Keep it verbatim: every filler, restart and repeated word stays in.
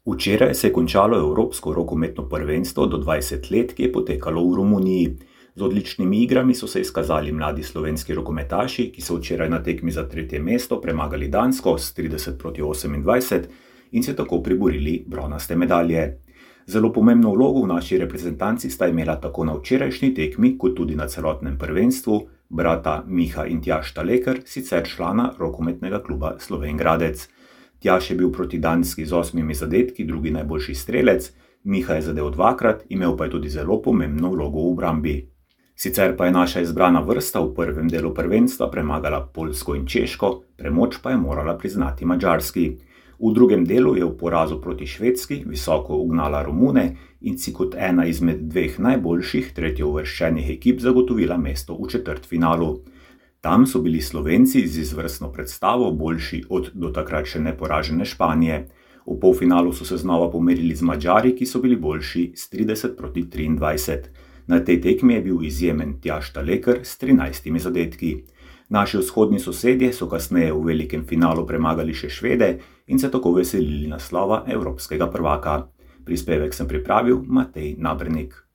Včeraj se je končalo Evropsko rokometno prvenstvo do dvajset let, ki je potekalo v Romuniji. Z odličnimi igrami so se izkazali mladi slovenski rokometaši, ki so včeraj na tekmi za tretje mesto premagali Dansko s trideset proti osemindvajset in se tako priborili bronaste medalje. Zelo pomembno vlogo v naši reprezentanci sta imela tako na včerajšnji tekmi, kot tudi na celotnem prvenstvu brata Miha in Tjaž Staleker, sicer člana rokometnega kluba Slovenj Gradec. Tjaž je bil proti Danski z osmimi zadetki drugi najboljši strelec, Miha je zadel dvakrat, imel pa je tudi zelo pomembno vlogo v obrambi. Sicer pa je naša izbrana vrsta v prvem delu prvenstva premagala Poljsko in Češko, premoč pa je morala priznati Madžarski. V drugem delu je v porazu proti Švedski visoko ugnala Romune in si kot ena izmed dveh najboljših tretjeuvrščenih ekip zagotovila mesto v četrtfinalu. Tam so bili Slovenci z izvrstno predstavo boljši od do takrat še neporažene Španije. V polfinalu so se znova pomerili z Madžari, ki so bili boljši s trideset proti triindvajset. Na tej tekmi je bil izjemen Tjaž Staleker s trinajstimi zadetki. Naši vzhodni sosedje so kasneje v velikem finalu premagali še Švede in se tako veselili naslova evropskega prvaka. Prispevek sem pripravil Matej Nabernik.